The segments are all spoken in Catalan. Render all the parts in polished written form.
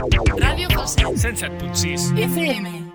Ràdio Falset 107.6 FM.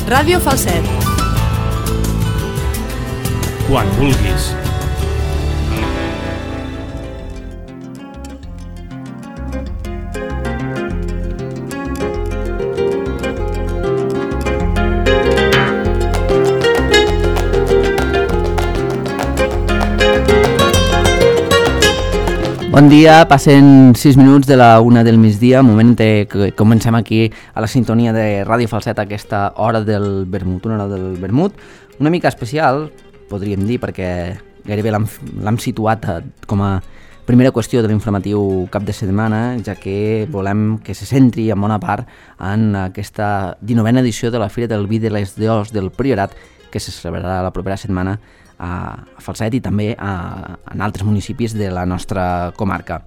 Ràdio Falset. Quan vulguis. Bon dia, passen 6 minuts de la 1 del migdia, moment que comencem aquí a la sintonia de Ràdio Falset a aquesta hora del vermut, una hora del vermut, una mica especial, podríem dir, perquè gairebé l'hem situat com a primera qüestió de l'informatiu cap de setmana, ja que volem que se centri en bona part en aquesta 19a edició de la Fira del Vi de les Deors del Priorat, que se celebrarà la propera setmana a Falset i també en altres municipis de la nostra comarca.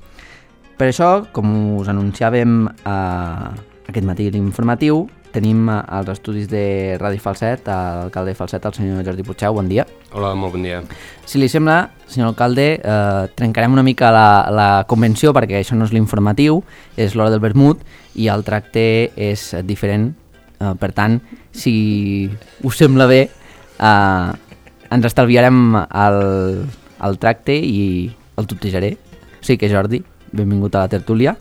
Per això, com us anunciàvem aquest matí l'informatiu, tenim als estudis de Ràdio Falset l'alcalde de Falset, el senyor Jordi Puigdeu. Bon dia. Hola, molt bon dia. Si li sembla, senyor alcalde, trencarem una mica la convenció, perquè això no és l'informatiu, és l'hora del vermut i el tracte és diferent. Per tant, si us sembla bé, ens estalviarem el tracte i el tutejaré. O sigui que, Jordi, benvingut a la tertúlia.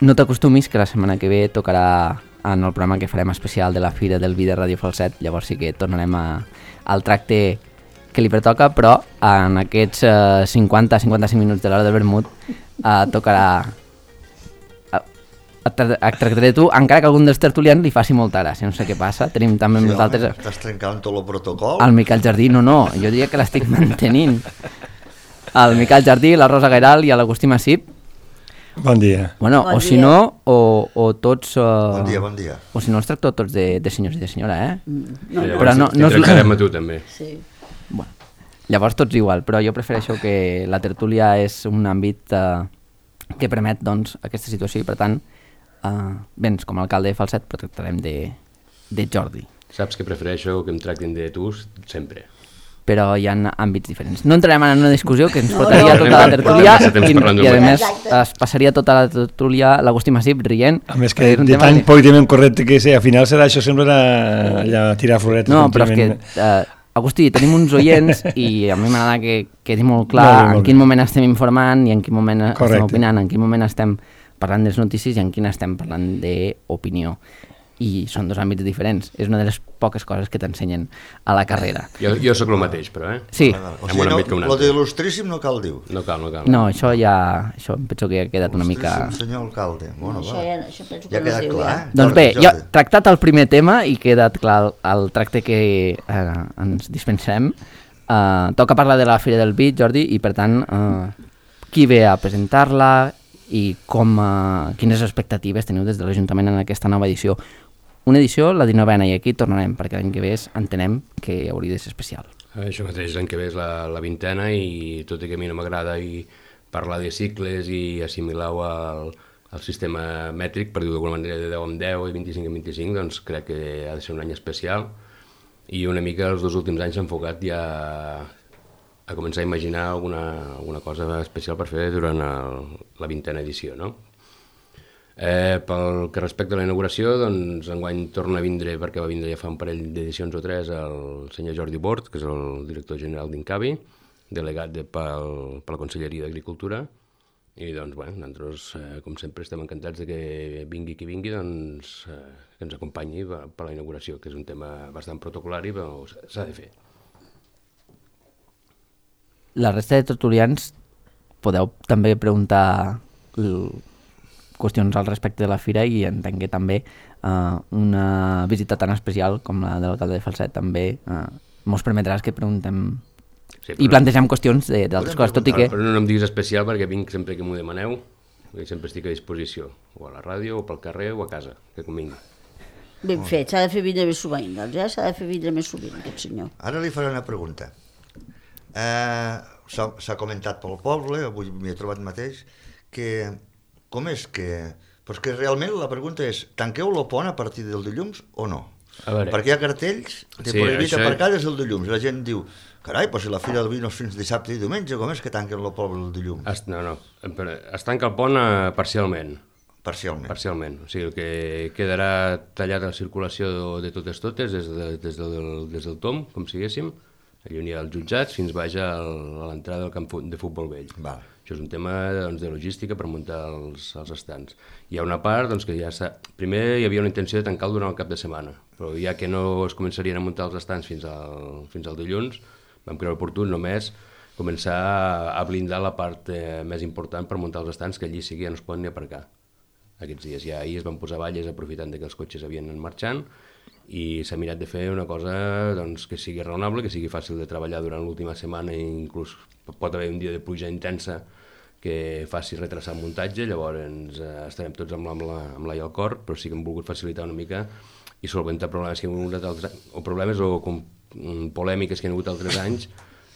No t'acostumis que la setmana que ve tocarà en el programa que farem especial de la Fira del Vi de Ràdio Falset, llavors sí que tornarem al tracte que li pertoca, però en aquests 50-55 minuts de l'hora del vermut tocarà... Et tractaré tu, encara que algun dels tertulians li faci molta gràcia, no sé què passa. Tenim també sí, nosaltres... Estàs trencant tot el protocol? El Miquel Jardí, no, jo diria que l'estic mantenint. El Miquel Jardí, la Rosa Gairal i l'Agustí Massip. Bon dia. Bueno, bon o dia. si no, o tots... Bon dia. O si no, els tracto tots de senyors i de senyora, No, Però no és... Trencarem a tu també. sí. Bueno, llavors tots igual, però jo prefereixo que la tertúlia és un àmbit que permet, doncs, aquesta situació i, per tant, vens com a alcalde de Falset, però tractarem de Jordi. Saps que prefereixo que em tractin de tu sempre. Però hi ha àmbits diferents. No entrarem en una discussió que ens portaria tota la tertúlia i a més es passaria tota la tertúlia l'Agustí Massip rient. A més que de tan políticament correcte que sé, al final serà això sempre allà tirar floretes. No, però és que, Agustí, tenim uns oients i a mi m'agrada que quedi molt clar en quin moment estem informant i en quin moment estem opinant, en quin moment estem parlant de les notícies i en quina estem parlant d'opinió. I són dos àmbits diferents. És una de les poques coses que t'ensenyen a la carrera. Jo sóc el mateix, però, Sí. O sigui, lo d'il·lustríssim no cal dir. No cal. No, això em penso que ha quedat una mica... Senyor alcalde. Bueno, això penso que ja ha quedat clar, Doncs bé, jo he tractat el primer tema i ha quedat clar el tracte que ens dispensarem. Toca parlar de la Fira del Vi, Jordi, i per tant, qui ve a presentar-la i quines expectatives teniu des de l'Ajuntament en aquesta nova edició. Una edició, la 19a, i aquí tornarem, perquè l'any que ve entenem que hauria de ser especial. Això mateix, l'any que ve és la 20a i tot i que a mi no m'agrada i parlar de cicles i assimilar-ho al sistema mètric, per dir-ho d'alguna manera, de 10 en 10 i 25 en 25, doncs crec que ha de ser un any especial i una mica els 2 últims anys s'ha enfocat ja a començar a imaginar alguna cosa especial per fer durant la 20a edició, no? Pel que respecta a la inauguració, doncs enguany torna a vindre, perquè va vindre ja fa un parell d'edicions o 3, el senyor Jordi Bort, que és el director general d'Incavi, delegat per la Conselleria d'Agricultura, i doncs, nosaltres, com sempre, estem encantats de que vingui qui vingui, doncs, que ens acompanyi per la inauguració, que és un tema bastant protocolari, però s'ha de fer. La resta de tertulians podeu també preguntar qüestions al respecte de la fira i entenc que també una visita tan especial com la de l'alcalde de Falset també mos permetràs que preguntem i plantegem qüestions d'altres coses, tot i que... Però no em diguis especial perquè vinc sempre que m'ho demaneu, i sempre estic a disposició, o a la ràdio, o pel carrer, o a casa, que convingui. Ben fet, s'ha de fer vindre més sovint, doncs, s'ha de fer vindre més sovint, aquest senyor. Ara li faré una pregunta. S'ha comentat pel poble, avui m'hi he trobat mateix, que com és que... Però és que realment la pregunta és, tanqueu el pont a partir del dilluns o no? Perquè hi ha cartells de prohibit aparcar des del dilluns. La gent diu, carai, però si la fira del vi no és fins dissabte i diumenge, com és que tanquen el poble el dilluns? No, es tanca el pont parcialment. Parcialment. O sigui, el que quedarà tallat a la circulació de totes des del Tom, com siguéssim, allà als jutjats, fins baix a l'entrada del camp de futbol vell. Val. Això és un tema de logística per muntar els estands. Hi ha una part que ja primer hi havia una intenció de tancar-lo durant el cap de setmana, però ja que no es començarien a muntar els estands fins al dilluns, vam creure oportú només començar a blindar la part més important per muntar els estands, que allí sí que ja no es poden ni aparcar. Aquests dies ja ahir es van posar valles aprofitant que els cotxes havien anat marxant i s'ha mirat de fer una cosa que sigui raonable, que sigui fàcil de treballar durant l'última setmana, i inclús pot haver un dia de pluja intensa que faci retrasar el muntatge, llavors estarem tots amb l'ai al cor, però sí que hem volgut facilitar una mica i solventar problemes que hi ha hagut polèmiques que hi ha hagut altres anys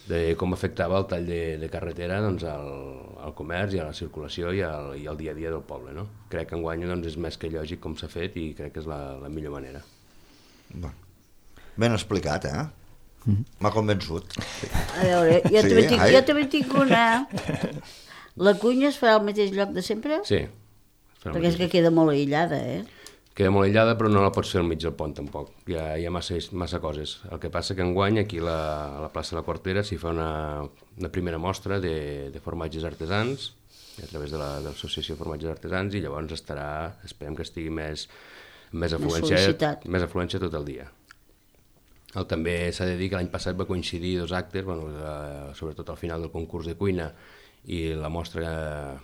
de com afectava el tall de carretera al comerç i a la circulació i al dia a dia del poble. No? Crec que enguany és més que lògic com s'ha fet i crec que és la millor manera. Ben explicat, M'ha convençut. A veure, jo també tinc una... La cuina es farà al mateix lloc de sempre? Sí. Perquè és que queda molt aïllada, Queda molt aïllada, però no la pots fer al mig del pont, tampoc. Hi ha massa coses. El que passa que enguany, aquí a la plaça de la Quartera, s'hi fa una primera mostra de formatges artesans, a través de l'Associació de Formatges Artesans, i llavors esperem que estigui més afluència tot el dia. També s'ha de dir que l'any passat va coincidir dos actes, sobretot al final del concurs de cuina i la mostra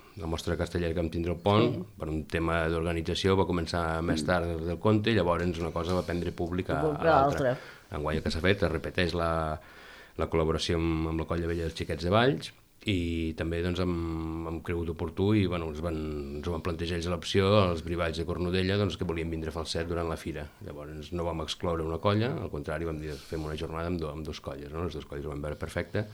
castellera que vam tindre al pont, per un tema d'organització va començar més tard del compte i llavors una cosa va prendre públic a l'altra. Enguany el que s'ha fet es repeteix la col·laboració amb la Colla Vella dels Xiquets de Valls i també hem cregut oportú i ens van plantejar ells l'opció als Brivalls de Cornudella que volien vindre a Falset durant la fira. Llavors no vam excloure una colla, al contrari vam dir fem una jornada amb dues colles, les dues colles ho van veure perfecte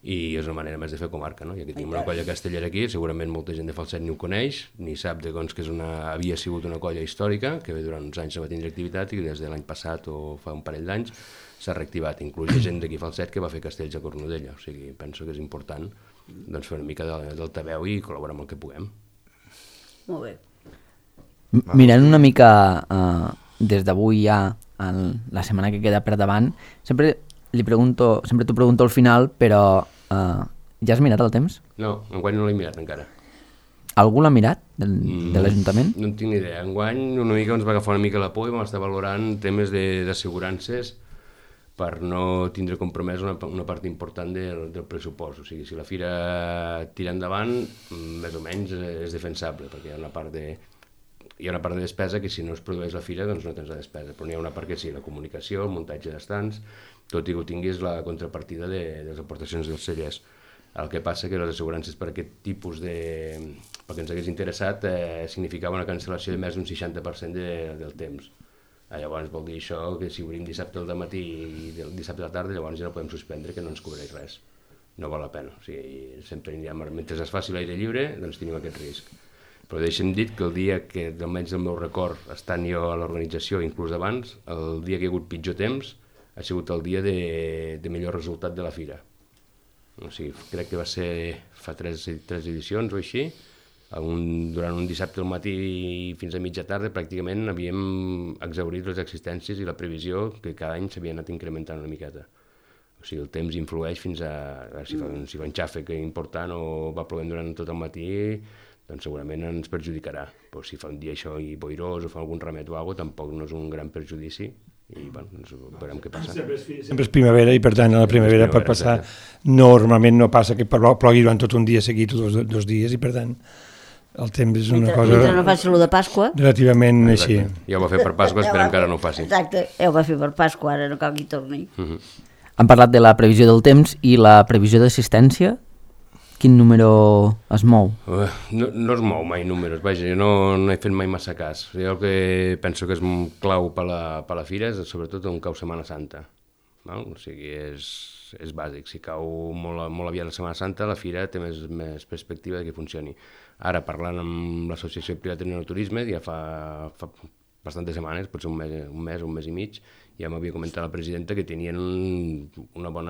i és una manera més de fer comarca, no? Ja que tenim una colla castellera aquí, segurament molta gent de Falset ni ho coneix, ni sap que havia sigut una colla històrica, que durant uns anys no va tindre activitat i des de l'any passat o fa un parell d'anys s'ha reactivat, inclús gent d'aquí Falset que va fer castells a Cornudella, o sigui, penso que és important fer una mica d'altaveu i col·laborar amb el que puguem. Molt bé. Mirant una mica des d'avui ja la setmana que queda per davant, sempre t'ho pregunto al final, però ja has mirat el temps? No, enguany no l'he mirat encara. Algú l'ha mirat, de l'Ajuntament? No en tinc ni idea. Enguany una mica ens va agafar una mica la por i vam estar valorant temes d'assegurances per no tindre compromès una part important del pressupost. O sigui, si la fira tira endavant, més o menys és defensable, perquè hi ha una part de despesa que si no es produeix la fira doncs no tens la despesa, però n'hi ha una part que sí, la comunicació, el muntatge d'estants, tot i que ho tinguis la contrapartida de les aportacions dels cellers. El que passa que les assegurances per aquest tipus perquè ens hagués interessat significava una cancel·lació de més d'un 60% del temps. Llavors vol dir això que si obrim dissabte al matí i dissabte a la tarda llavors ja no podem suspendre, que no ens cobreix res. No val la pena. O sigui, sempre mentre es faci l'aire lliure doncs tenim aquest risc. Però deixa'm dir que el dia que, almenys del meu record, estant jo a l'organització, inclús abans, el dia que hi ha hagut pitjor temps ha sigut el dia de millor resultat de la fira. O sigui, crec que va ser fa 3 edicions o així, durant un dissabte al matí fins a mitja tarda pràcticament havíem exhaurit les existències i la previsió que cada any s'havia anat incrementant una miqueta. O sigui, el temps influeix fins a si fa un xàfec important o va plovent durant tot el matí, doncs segurament ens perjudicarà. Però si fa un dia això i boirós o fa algun remet o alguna cosa, tampoc no és un gran perjudici i bueno, doncs veurem què passa. Sempre és primavera i per tant a la primavera pot passar, normalment no passa que plogui durant tot un dia seguit o dos dies i per tant el temps és una cosa... Mentre no faci el de Pasqua. Relativament així. Ja ho va fer per Pasqua, esperem que ara no ho faci. Exacte, ja ho va fer per Pasqua, ara no cal que hi torni. Han parlat de la previsió del temps i la previsió d'assistència. Quin número es mou? No es mou mai números, vaja, jo no he fet mai massa cas. Jo el que penso que és clau per la fira és sobretot on cau Setmana Santa. Val? O sigui, és bàsic. Si cau molt aviat la Setmana Santa, la fira té més perspectiva de que funcioni. Ara, parlant amb l'Associació Privada de Turisme, ja fa bastantes setmanes, potser un mes i mig, ja m'havia comentat la presidenta que tenien un bon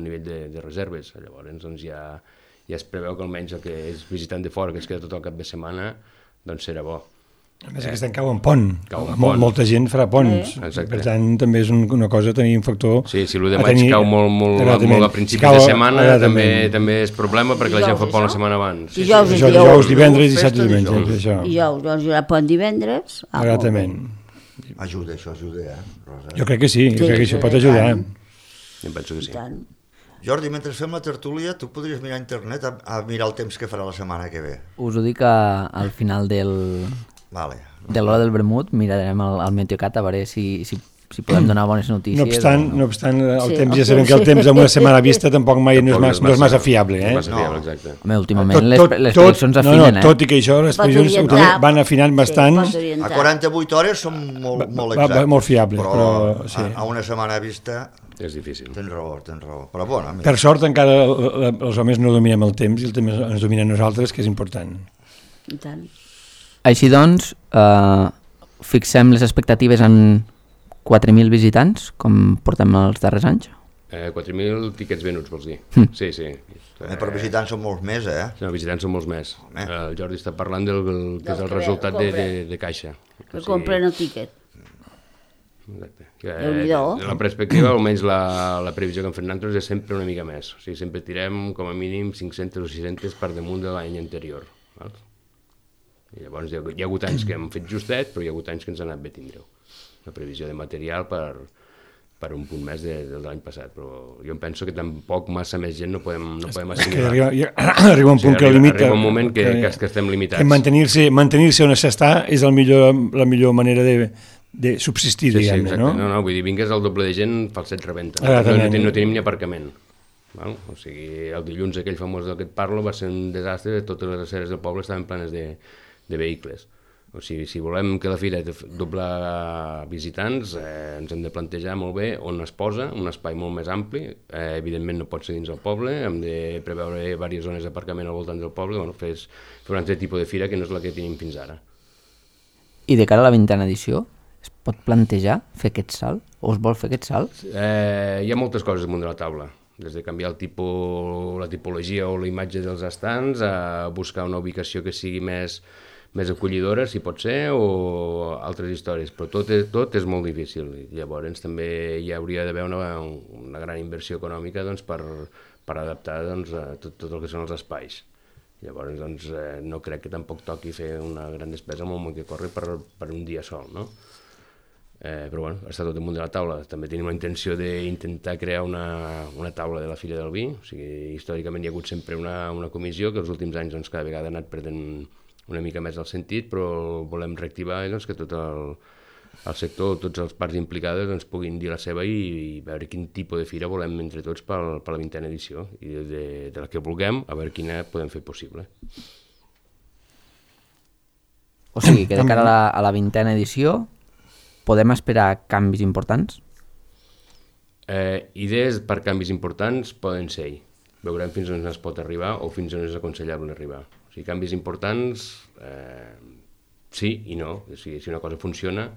nivell de reserves. Llavors doncs, ja es preveu que almenys el que és visitant de fora, que es queda tot el cap de setmana, doncs serà bo. A més, aquest any cau en pont. Molta gent farà ponts. Per tant, també és una cosa, tenir un factor... Sí, si l'1 de maig cau molt a principis de setmana, també és problema perquè la gent fa pont la setmana abans. Dijous, divendres, dissabte i diumenge. Dijous, doncs hi haurà pont divendres. Exactament. Ajuda, Rosa? Jo crec que sí, jo crec que això pot ajudar. Jo penso que sí. Jordi, mentre fem la tertúlia, tu podries mirar a internet a mirar el temps que farà la setmana que ve. Us ho dic al final de l'hora del vermut, mirarem el Meteocat a veure si podem donar bones notícies. No obstant, el temps, ja sabem que el temps amb una setmana vista tampoc mai no és massa fiable. No és massa fiable, exacte. Home, últimament les previsions afinen. Tot i que això, les previsions van afinant bastant. A 48 hores són molt exactes. Molt fiables. Però a una setmana vista... És difícil. Tens raó. Però bueno, per sort encara els homes no dominem el temps i el temps ens dominem nosaltres, que és important. I tant. Així doncs, fixem les expectatives en 4.000 visitants, com portem els darrers anys? 4.000 tiquets venuts, vols dir? Sí. Per visitants són molts més, No, visitants són molts més. El Jordi està parlant del que és el resultat de caixa. Que compren el tiquet. Exacte. La perspectiva, almenys la previsió que hem fet nosaltres és sempre una mica més. O sigui, sempre tirem com a mínim 500 o 600 per damunt de l'any anterior. I llavors hi ha hagut anys que hem fet justet, però hi ha hagut anys que ens ha anat bé tindreu. La previsió de material per un punt més de l'any passat, però jo em penso que tampoc massa més gent no podem assimilar. Arriba un punt que limita. Arriba un moment que estem limitats. Mantenir-se on s'està és la millor manera de subsistir, diguem-ne, no? No, vull dir, vingues el doble de gent, fa el set rebenta. No tenim ni aparcament. O sigui, el dilluns aquell famós del que et parlo va ser un desastre, totes les aceres del poble estaven plenes de vehicles. O sigui, si volem que la fira dobla visitants, ens hem de plantejar molt bé on es posa, un espai molt més ampli, evidentment no pot ser dins el poble, hem de preveure diverses zones d'aparcament al voltant del poble, fer un altre tipus de fira que no és la que tenim fins ara. I de cara a la 20a edició, es pot plantejar fer aquest salt? O es vol fer aquest salt? Hi ha moltes coses damunt de la taula, des de canviar la tipologia o la imatge dels estants, a buscar una ubicació que sigui més acollidora, si pot ser, o altres històries, però tot és molt difícil. Llavors també hi hauria d'haver una gran inversió econòmica per adaptar tot el que són els espais. Llavors no crec que tampoc toqui fer una gran despesa amb el món que corre per un dia sol, no? Però bueno, està tot damunt de la taula. També tenim la intenció d'intentar crear una taula de la Fira del Vi. O sigui, històricament hi ha hagut sempre una comissió que els últims anys cada vegada ha anat perdent una mica més el sentit, però volem reactivar que tot el sector, tots els parts implicades puguin dir la seva i veure quin tipus de fira volem entre tots per la 20a edició i de la que vulguem, a veure quina podem fer possible. O sigui, que de cara a la 20a edició podem esperar canvis importants? Idees per canvis importants poden ser. Veurem fins on es pot arribar o fins on és aconsellable arribar. O sigui, canvis importants, sí i no. O sigui, si una cosa funciona,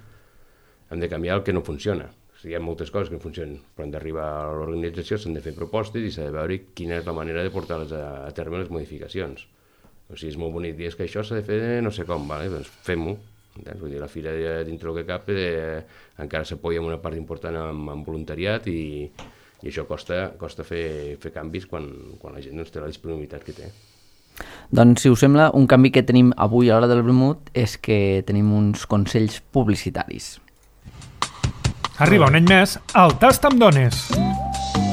hem de canviar el que no funciona. O sigui, hi ha moltes coses que no funcionen, però hem d'arribar a l'organització, s'han de fer propostes i s'ha de veure quina és la manera de portar-les a terme les modificacions. O sigui, és molt bonic dir, és que això s'ha de fer no sé com, vale? Doncs fem-ho. Vull dir, la fira, dintre del que cap, encara s'apoya en una part important en voluntariat i això costa fer canvis quan la gent té la disponibilitat que té. Doncs, si us sembla, un canvi que tenim avui a l'hora del vermut és que tenim uns consells publicitaris. Arriba un any més al Tast amb Dones.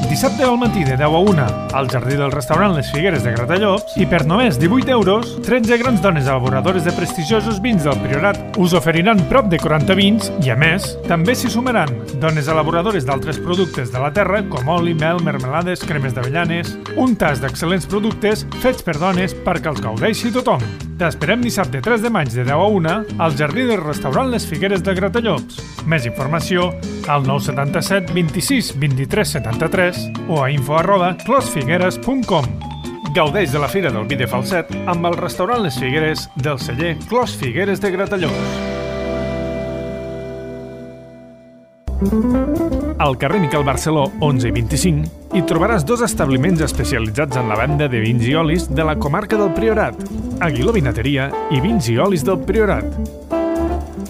Dissabte al matí de 10 a 1 al jardí del restaurant Les Figueres de Gratallops i per només 18 euros, 13 grans dones elaboradores de prestigiosos vins del Priorat us oferiran prop de 40 vins i, a més, també s'hi sumaran dones elaboradores d'altres productes de la terra com oli, mel, mermelades, cremes d'avellanes, un tas d'excel·lents productes fets per dones perquè els gaudeixi tothom. T'esperem dissabte 3 de maig de 10 a 1 al jardí del restaurant Les Figueres de Gratallops. Més informació al 977 26 23 73 o a info@closfigueres.com. Gaudeix de la Fira del Vi de Falset amb el restaurant Les Figueres del celler Clos Figueres de Gratallops. Al carrer Miquel Barceló 11 i 25 hi trobaràs dos establiments especialitzats en la venda de vins i olis de la comarca del Priorat, Aguiló Vinateria i Vins i Olis del Priorat.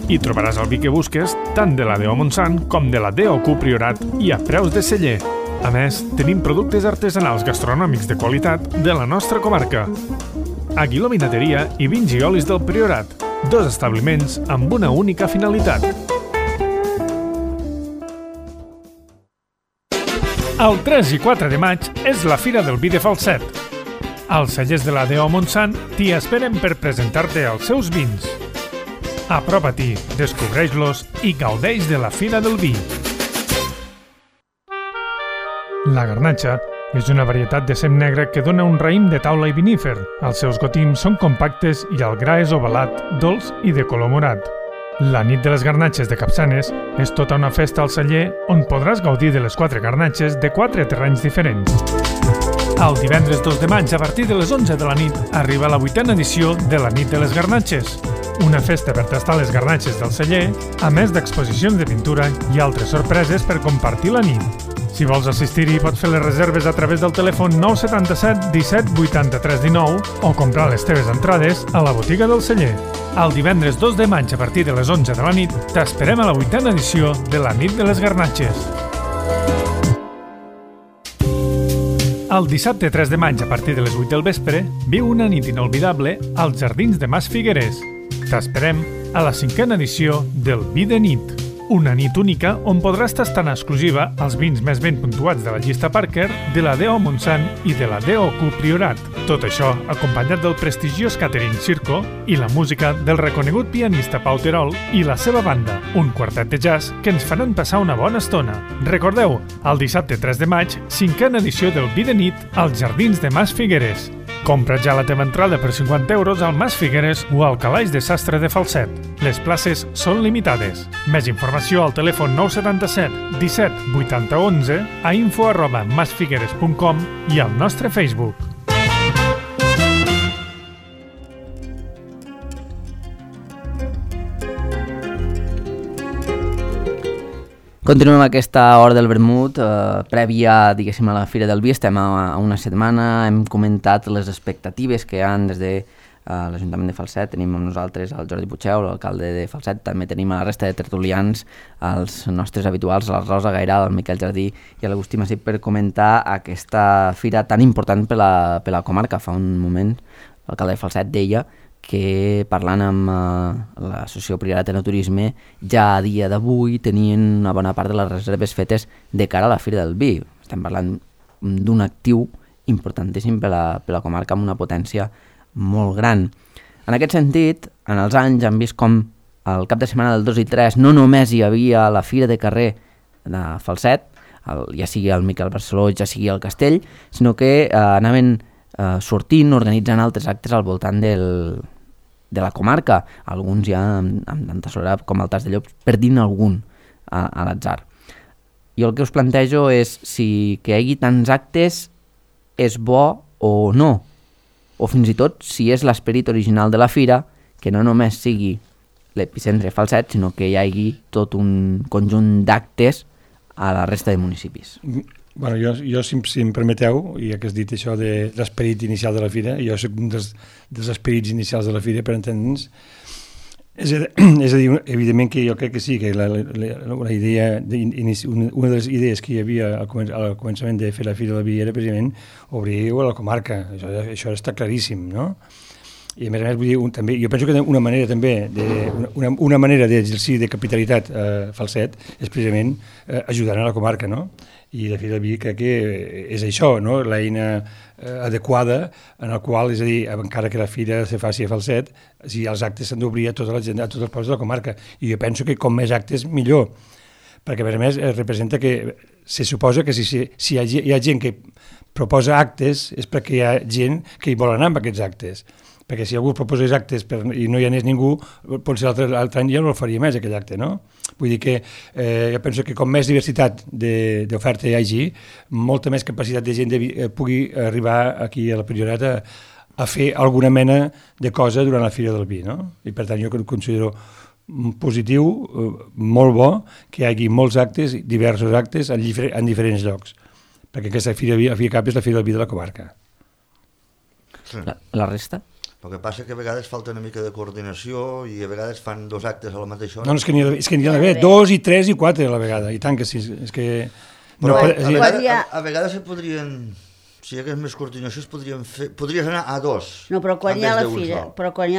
Hi trobaràs el vi que busques tant de la D.O. Montsant com de la D.O.Q. Priorat i a preus de celler. A més, tenim productes artesanals gastronòmics de qualitat de la nostra comarca. Aguiló Vinateria i Vins i Olis del Priorat, dos establiments amb una única finalitat. El 3 i 4 de maig és la Fira del Vi de Falset. Els cellers de la D.O. Montsant t'hi esperen per presentar-te els seus vins. Apropa-t'hi, descobreix-los i gaudeix de la Fira del Vi. La garnatxa és una varietat de sem negre que dona un raïm de taula i vinífer. Els seus gotims són compactes i el gra és ovalat, dolç i de color morat. La nit de les garnatxes de Capçanes és tota una festa al celler on podràs gaudir de les 4 garnatxes de 4 terrenys diferents. El divendres 2 de maig, a partir de les 11 de la nit, arriba la 8a edició de la nit de les garnatxes. Una festa per tastar les garnatxes del celler, a més d'exposicions de pintura i altres sorpreses per compartir la nit. Si vols assistir-hi, pots fer les reserves a través del telèfon 977 17 83 19 o comprar les teves entrades a la botiga del celler. El divendres 2 de maig, a partir de les 11 de la nit, t'esperem a la 8a edició de la nit de les garnatxes. El dissabte 3 de maig, a partir de les 8 del vespre, viu una nit inolvidable als Jardins de Mas Figueres. T'esperem a la 5a edició del Vi de Nit. Una nit única on podràs tastar en exclusiva els vins més ben puntuats de la llista Parker, de la D.O. Montsant i de la D.O.Q. Priorat. Tot això acompanyat del prestigiós Catering Circo i la música del reconegut pianista Pau Terol i la seva banda, un quartet de jazz que ens faran passar una bona estona. Recordeu, el dissabte 3 de maig, 5a edició del Vi de Nit als Jardins de Mas Figueres. Compra ja la teva entrada per 50 euros al Mas Figueres o al Calaix de Sastre de Falset. Les places són limitades. Més informació al telèfon 977 17 80 11, a info@masfigueres.com i al nostre Facebook. Continuem aquesta hora del vermut, prèvia, diguéssim, a la Fira del Vi. Estem a una setmana, hem comentat les expectatives que hi ha des de l'Ajuntament de Falset. Tenim amb nosaltres el Jordi Puigdeu, l'alcalde de Falset. També tenim a la resta de tertulians, els nostres habituals, la Rosa Gairal, el Miquel Jardí i l'Agustí Massip, per comentar aquesta fira tan important per la comarca. Fa un moment l'alcalde de Falset deia que parlant amb l'Associació Priorat de Turisme ja a dia d'avui tenien una bona part de les reserves fetes de cara a la Fira del Vi. Estem parlant d'un actiu importantíssim per la comarca amb una potència molt gran. En aquest sentit, en els anys han vist com el cap de setmana del 2 i 3 no només hi havia la Fira de Carrer de Falset, ja sigui el Miquel Barceló, ja sigui el Castell, sinó que anaven sortint, organitzant altres actes al voltant de la comarca, alguns ja amb tanta soledat com el Tas de Llops, per dir-ne algun a l'atzar. Jo el que us plantejo és si que hi hagi tants actes és bo o no, o fins i tot si és l'esperit original de la fira, que no només sigui l'epicentre Falset, sinó que hi hagi tot un conjunt d'actes a la resta de municipis. Bueno, jo si em permeteu, ja que has dit això de l'esperit inicial de la fira, jo soc un dels esperits inicials de la fira, per entendre'ns. És a dir, evidentment que jo crec que sí, que una de les idees que hi havia al començament de fer la Fira del Vi era precisament obrir a la comarca, això està claríssim, no? I a més, vull dir, també, jo penso que una manera també una manera d'exercir de capitalitat Falset és precisament ajudant a la comarca, no? I la Fira del Vi crec que és això, no? L'eina adequada en el qual, és a dir, encara que la fira se faci a Falset, si els actes s'han d'obrir a tota la gent, a tots els pobles de la comarca, i jo penso que com més actes millor, perquè a més representa que se suposa que si hi ha gent que proposa actes és perquè hi ha gent que hi vol anar amb aquests actes, perquè si algú proposés actes i no hi anés ningú, potser l'altre any ja no el faria més aquell acte, no? Vull dir que jo penso que com més diversitat d'oferta hi hagi, molta més capacitat de gent pugui arribar aquí a la Priorat a fer alguna mena de cosa durant la Fira del Vi, no? I per tant jo considero positiu, molt bo, que hi hagi molts actes, diversos actes en diferents llocs, perquè aquesta Fira del Vi, al fi i cap, és la Fira del Vi de la comarca. La resta? El que passa que a vegades falta una mica de coordinació i a vegades fan 2 actes a la mateixa hora. No, és que n'hi ha d'haver 2 i 3 i 4 a la vegada, i tant que sí, és que... Però a vegades se podrien, si hi hagués més coordinació, podries anar a 2. No, però quan hi ha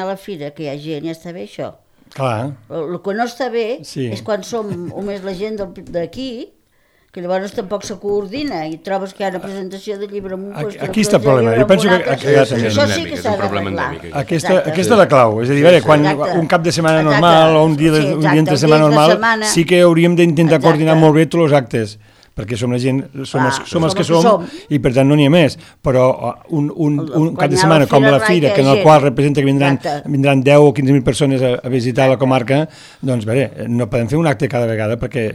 la fira, que hi ha gent, ja està bé això. Clar. El que no està bé és quan som només la gent d'aquí, que llavors tampoc se coordina i trobes que hi ha una presentació de llibre amb un pòster. Aquí està el problema, jo penso que això sí que s'ha d'arreglar. Aquesta és la clau, és a dir, quan un cap de setmana normal o un dia entre setmana normal sí que hauríem d'intentar coordinar molt bé tots els actes, perquè som la gent, som els que som i per tant no n'hi ha més, però un cap de setmana com la fira, que en el qual representa que vindran 10 o 15.000 persones a visitar la comarca, doncs bé, no podem fer un acte cada vegada perquè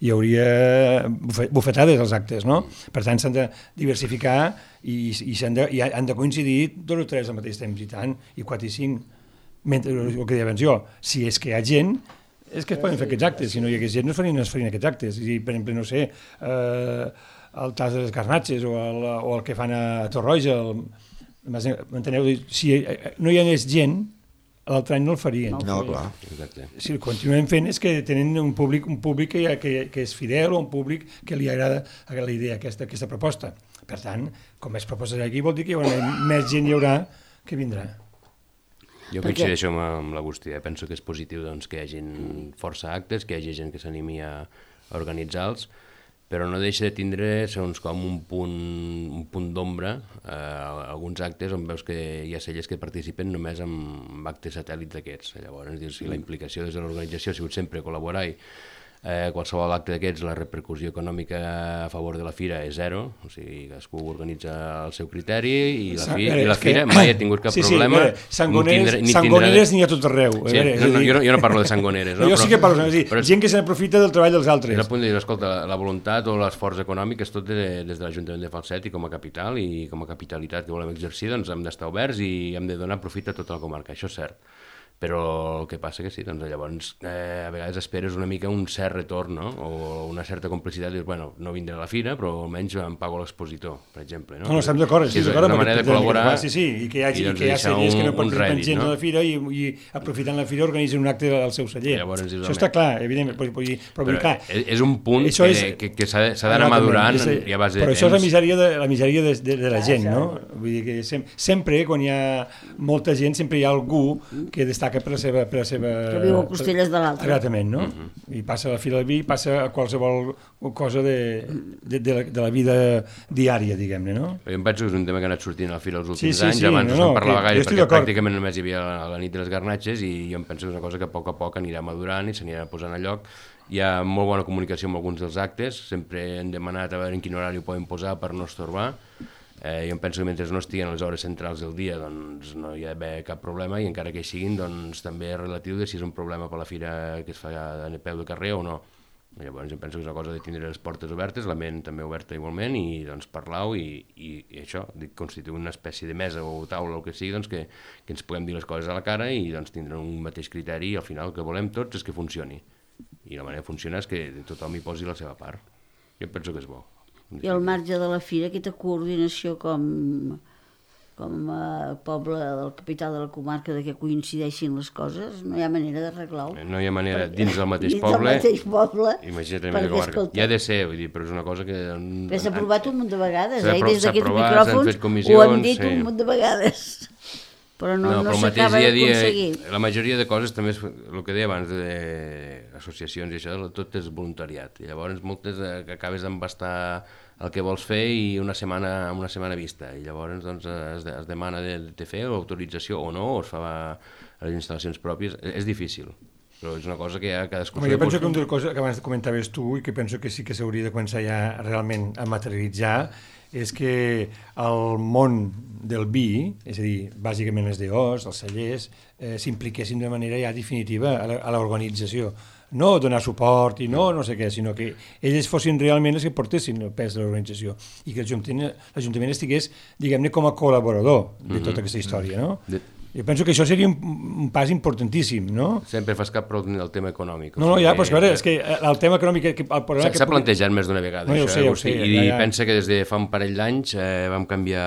hi hauria bufetades als actes, no? Per tant s'han de diversificar i han de coincidir 2 o 3 al mateix temps, i tant, i 4 i 5, el que deia abans jo, si és que hi ha gent, és que es poden fer aquests actes, si no hi hagués gent no es farien aquests actes, i per exemple, no sé, el tas de les garnatxes o el que fan a Torroja, m'enteneu? Si no hi anés gent, l'altre any no el farien. No, clar. Si el continuem fent és que tenen un públic que és fidel o un públic que li agrada la idea, aquesta proposta. Per tant, com més propostes aquí vol dir que més gent hi haurà que vindrà. Jo coincideixo amb l'Agustí, penso que és positiu que hi hagi força actes, que hi hagi gent que s'animi a organitzar-los, però no deixa de tindre segons com un punt d'ombra alguns actes on veus que hi ha celles que participen només amb actes satèl·lits d'aquests. Llavors, si la implicació des de l'organització ha sigut sempre col·laborar qualsevol acte d'aquests, la repercussió econòmica a favor de la fira és zero, o sigui, cadascú organitza el seu criteri i la fira mai ha tingut cap problema. Sangoneres n'hi ha tot arreu. Jo no parlo de sangoneres. Jo sí que parlo, gent que se n'aprofita del treball dels altres. És el punt de dir, escolta, la voluntat o l'esforç econòmic és tot des de l'Ajuntament de Falset i com a capital i com a capitalitat que volem exercir, doncs hem d'estar oberts i hem de donar profit a tota la comarca, això és cert. Però el que passa que sí, doncs llavors a vegades esperes una mica un cert retorn, no? O una certa complicitat, dius, bueno, no vindré a la fira, però almenys em pago l'expositor, per exemple. No, estem d'acord, és una manera de col·laborar. Sí, i que hi ha sèries que no participen gent a la fira i aprofitant la fira organitzen un acte al seu celler. Això està clar, evidentment, però clar... És un punt que s'ha d'anar madurant i a base de temps. Però això és la misèria de la gent, no? Vull dir que sempre, quan hi ha molta gent, sempre hi ha algú que destaca per la seva... Que viu a costelles de l'altre. Exactament, no? I passa a la Fira del Vi, passa a qualsevol cosa de la vida diària, diguem-ne, no? Jo em penso que és un tema que ha anat sortint a la Fira els últims anys, abans no se'n parlava gaire, perquè pràcticament només hi havia la nit de les garnatxes, i jo em penso que és una cosa que a poc anirà madurant i s'anirà posant a lloc. Hi ha molt bona comunicació amb alguns dels actes, sempre hem demanat a veure en quin horari ho poden posar per no estorbar. Jo em penso que mentre no estiguen a les hores centrals del dia doncs no hi ha d'haver cap problema, i encara que hi siguin doncs també és relatiu de si és un problema per la fira que es fa a peu de carrer o no. Llavors em penso que és una cosa de tindre les portes obertes, la ment també oberta igualment, i doncs parlar-ho i això, constituir una espècie de mesa o taula o el que sigui, doncs que ens puguem dir les coses a la cara i doncs tindre un mateix criteri, i al final el que volem tots és que funcioni. I la manera de funcionar és que tothom hi posi la seva part. Jo penso que és bo. I al marge de la fira, aquesta coordinació com a poble del capital de la comarca de que coincideixin les coses, no hi ha manera d'arreglar-ho. No hi ha manera dins del mateix poble, imagina't la comarca. Hi ha de ser, vull dir, però és una cosa que... S'ha aprovat un munt de vegades, i des d'aquests micròfons ho han dit un munt de vegades. Però no s'acaba d'aconseguir. La majoria de coses també és el que deia abans d'associacions i això, tot és voluntariat. I llavors moltes que acabes d'embastar el que vols fer i una setmana vista. I llavors doncs, es demana de fer l'autorització o no, o es fa a les instal·lacions pròpies. És difícil, però és una cosa que ja cadascú... Jo penso que una de les coses que abans comentaves tu i que penso que sí que s'hauria de començar ja realment a materialitzar és que el món del vi, és a dir, bàsicament les DOs, els cellers, s'impliquessin de manera ja definitiva a l'organització. No donar suport i no sé què, sinó que ells fossin realment els que portessin el pes de l'organització i que l'Ajuntament estigués, diguem-ne, com a col·laborador de tota aquesta història, no? Jo penso que això seria un pas importantíssim, no? Sempre fas cap prou del tema econòmic. No, ja, però és que el tema econòmic... S'ha plantejat més d'una vegada, això. Ho sé. I pensa que des de fa un parell d'anys vam canviar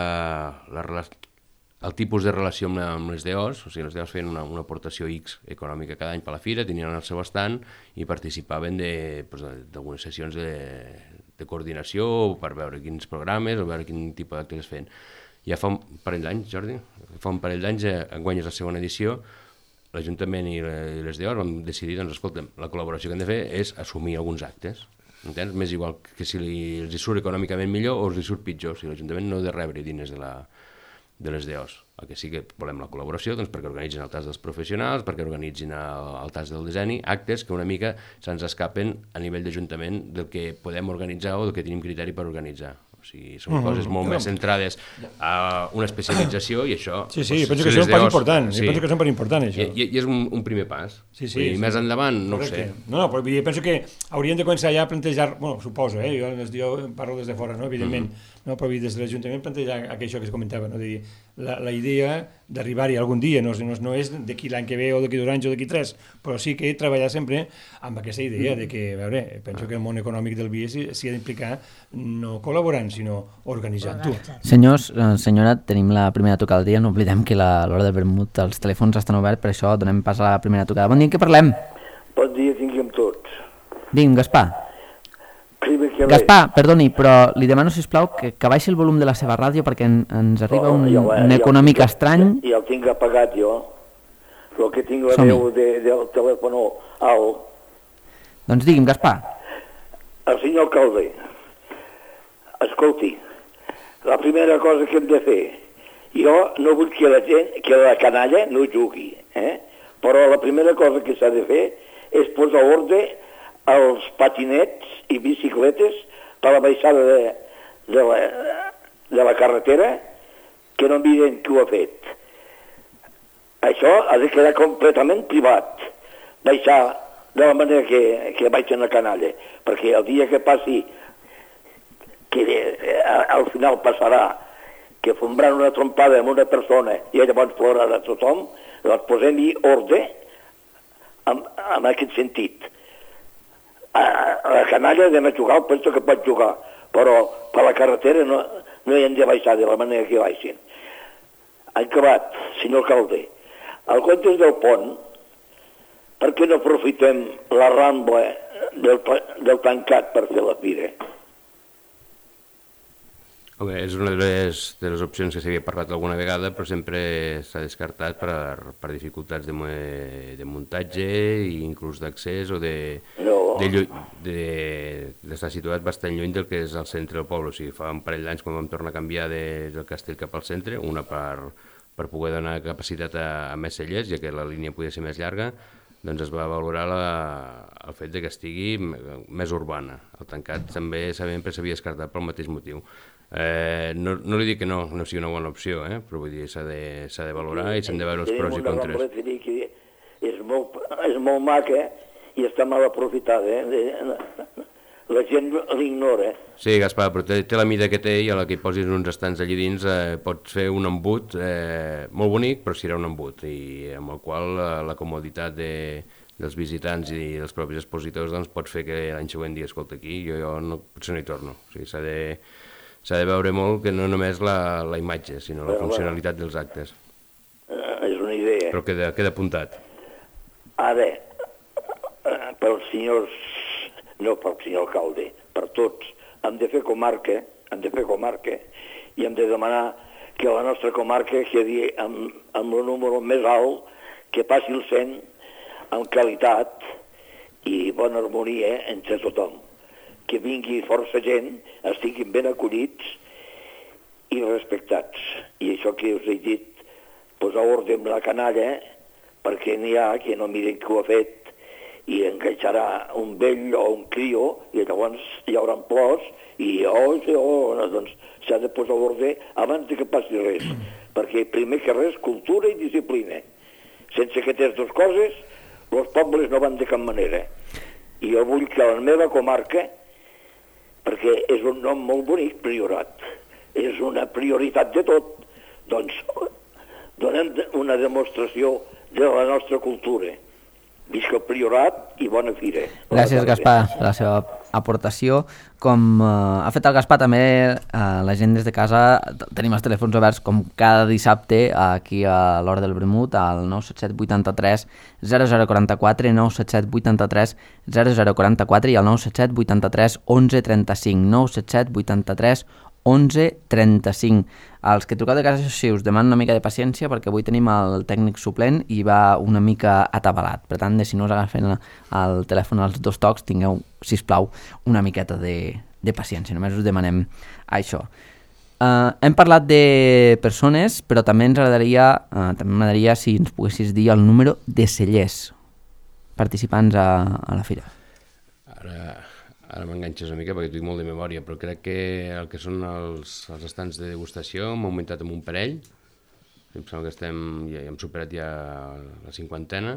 el tipus de relació amb les DOs, o sigui, les DOs feien una aportació X econòmica cada any per la fira, tenien el seu estand i participaven d'algunes sessions de coordinació per veure quins programes o veure quin tipus d'actes es feien. Ja fa un parell d'anys, Jordi, enguany és la segona edició, l'Ajuntament i les DOs vam decidir, doncs, escolta'm, la col·laboració que hem de fer és assumir alguns actes, entens? M'és igual que si els surt econòmicament millor o els surt pitjor, o sigui, l'Ajuntament no ha de rebre diners de les DOs. El que sí que volem la col·laboració, doncs, perquè organitzin el tas dels professionals, perquè organitzin el tas del disseny, actes que una mica se'ns escapen a nivell d'Ajuntament del que podem organitzar o del que tenim criteri per organitzar. O sigui, són coses molt més centrades a una especialització i això... Sí, penso que és un pas important, penso que és un pas important, això. I és un primer pas. I més endavant, no ho sé. No, però penso que hauríem de començar ja a plantejar, bueno, suposo, jo parlo des de fora, no, evidentment, no, però des de l'Ajuntament plantejar això que es comentava, no, de dir, la idea d'arribar-hi algun dia, no és d'aquí l'any que ve o d'aquí 2 anys o d'aquí 3, però sí que treballar sempre amb aquesta idea de que, a veure, penso que el món econòmic del vi s'hi ha d'implicar no col·laborant, sinó organitzant-ho. Senyors, senyora, tenim la primera tocada del dia, no oblidem que a l'hora del vermut els telèfons estan oberts, per això donem pas a la primera tocada. Bon dia, què parlem? Bon dia, tinguem tots. Digue'm, Gaspar. Gaspar, perdoni, però li demano, sisplau, que baixi el volum de la seva ràdio perquè ens arriba un econòmic estrany. Ja el tinc apagat jo, però que tinc la veu del telèfon alt. Doncs digui'm, Gaspar. El senyor alcalde, escolti, la primera cosa que hem de fer, jo no vull que la gent, que la canalla no jugui, però la primera cosa que s'ha de fer és posar ordre als patinets i bicicletes per la baixada de la carretera, que no miren qui ho ha fet. Això ha de quedar completament privat, baixar de la manera que baixen la canalla, perquè el dia que passi, que al final passarà, que fombraran una trompada amb una persona i llavors plorarà tothom, doncs posem-hi ordre en aquest sentit. A la canalla anem a jugar, penso que pot jugar, però per la carretera no hi hem de baixar de la manera que baixin. Han acabat, senyor alcalde. Al comptes del pont, per què no aprofitem la rambla del tancat per fer la fira? És una de les opcions que s'havia parlat alguna vegada, però sempre s'ha descartat per dificultats de muntatge i inclús d'accés o d'estar situat bastant lluny del que és el centre del poble. O sigui, fa un parell d'anys quan vam tornar a canviar del castell cap al centre, una per poder donar capacitat a més cellers, ja que la línia podia ser més llarga, doncs es va valorar el fet que estigui més urbana. El tancat també sempre s'havia descartat pel mateix motiu. No li dic que no sigui una bona opció, però vull dir, s'ha de valorar i s'han de veure els pros i contres. És molt maca i està mal aprofitada, la gent l'ignora. Sí, Gaspar, però té la mida que té i a la que hi posis uns estants allí dins pots fer un embut molt bonic, però serà un embut, i amb el qual la comoditat dels visitants i dels propis expositors, doncs pot fer que l'any següent digui, escolta, aquí jo no, potser no hi torno. O sigui, s'ha de veure molt que no només la imatge, sinó la funcionalitat dels actes. És una idea. Però queda apuntat. Ara, pels senyors, no pel senyor alcalde, per tots, hem de fer comarca i hem de demanar que la nostra comarca quedi amb el número més alt, que passi el 100 amb qualitat i bona harmonia entre tothom. Que vingui força gent, estiguin ben acollits i respectats. I això que us he dit, posar ordre amb la canalla, perquè n'hi ha que no miren qui ho ha fet i enganxarà un vell o un crio i llavors hi haurà plors i doncs s'ha de posar ordre abans que passi res, perquè primer que res cultura i disciplina. Sense aquestes dues coses els pobles no van de cap manera. I jo vull que la meva comarca, perquè és un nom molt bonic, Priorat, és una prioritat de tot, doncs donem una demostració de la nostra cultura. Visca el Priorat i bona fira. Gràcies, Gaspar, per la seva aportació. Com ha fet el Gaspar, també la gent des de casa tenim els telèfons oberts com cada dissabte aquí a l'Hora del Vermut al 977 83 0044, 977 83 0044 i al 977 83 11 35, 977 83 11 35. Els que truqueu de casa, si us demanen una mica de paciència, perquè avui tenim el tècnic suplent i va una mica atabalat. Per tant, si no us agafen el telèfon als dos tocs, tingueu, sisplau, una miqueta de paciència. Només us demanem això. Hem parlat de persones, però també m'agradaria si ens poguessis dir el número de cellers participants a la fira. Ara m'enganxes una mica perquè tinc molt de memòria, però crec que el que són els estants de degustació hem augmentat amb un parell. Em sembla que ja hem superat ja la 50ena.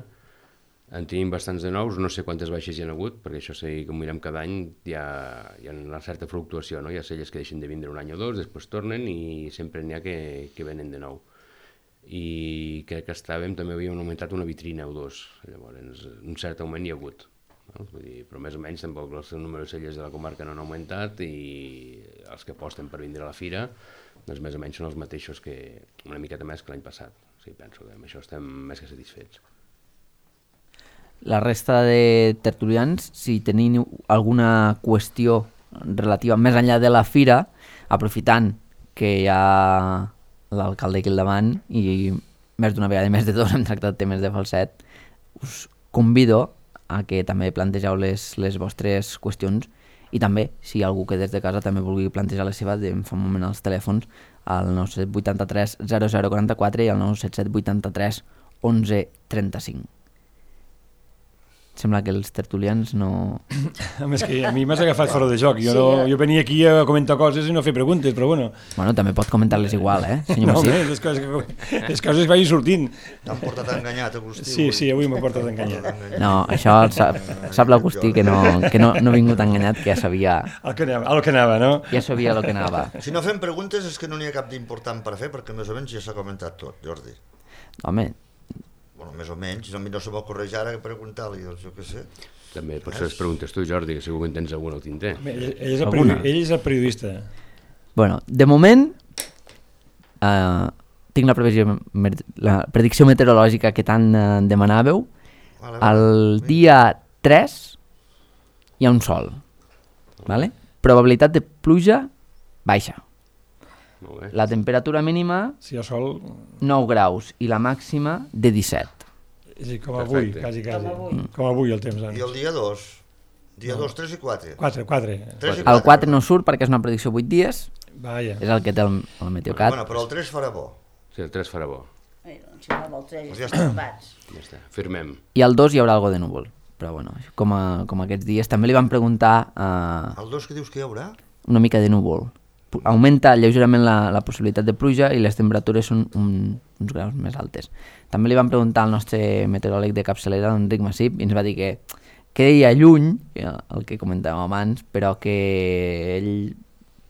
En tenim bastants de nous, no sé quantes baixes hi ha hagut, perquè això sí que ho mirem cada any, hi ha una certa fluctuació, no? Hi ha celles que deixen de vindre un any o dos, després tornen i sempre n'hi ha que venen de nou. I crec que també havíem augmentat una vitrina o dos, llavors un cert augment hi ha hagut. No? Vull dir, però més o menys tampoc el número de celles de la comarca no han augmentat i els que aposten per vindre a la fira doncs més o menys són els mateixos que una miqueta més que l'any passat. O sigui, penso que amb això estem més que satisfets. La resta de tertulians, si teniu alguna qüestió relativa més enllà de la fira, aprofitant que hi ha l'alcalde aquí al davant i més d'una vegada i més de dos hem tractat temes de falset, us convido a que també plantegeu les vostres qüestions i també, si hi ha algú que des de casa també vulgui plantejar les seves, em fa un moment als telèfons al 977 83 0044 i al 977 83 11 35. Sembla que els tertulians no... És que a mi m'has agafat fora de joc. Jo venia aquí a comentar coses i no fer preguntes, però bueno. Bueno, també pot comentar-les igual, senyor Massip? No, les coses vagin sortint. T'han portat enganyat, Agustí. Sí, avui m'ha portat enganyat. No, això sap l'Agustí que no ha vingut enganyat, que ja sabia... El que anava, no? Ja sabia el que anava. Si no fem preguntes és que no n'hi ha cap d'important per fer, perquè més o menys ja s'ha comentat tot, Jordi. Home... Bueno, més o menys, no se m'ocorreix ara preguntar-li, doncs jo què sé. També pots fer les preguntes tu, Jordi, que segur que en tens alguna al tinter. Ell és el periodista. Bueno, de moment tinc la predicció meteorològica que tant demanàveu. El dia 3 hi ha un sol, vale? Probabilitat de pluja baixa. La temperatura mínima, si hi ha sol... 9 graus i la màxima de 17. Sí, com avui, quasi. Com avui el temps. I el dia 2? Dia 2, 3 i 4? 4. El 4 no surt perquè és una predicció 8 dies. Vaja. És el que té el Meteocat. Bueno, però el 3 farà bo. Sí, el 3 farà bo. Doncs si no el 3 ja està. Ja està, firmem. I el 2 hi haurà algo de núvol. Però bueno, com aquests dies. També li van preguntar... El 2 que dius que hi haurà? Una mica de núvol. Augmenta lleugerament la possibilitat de pluja i les temperatures són uns graus més altes. També li vam preguntar al nostre meteoròleg de capçalera, Enric Massip, i ens va dir que queia lluny, el que comentàvem abans, però que ell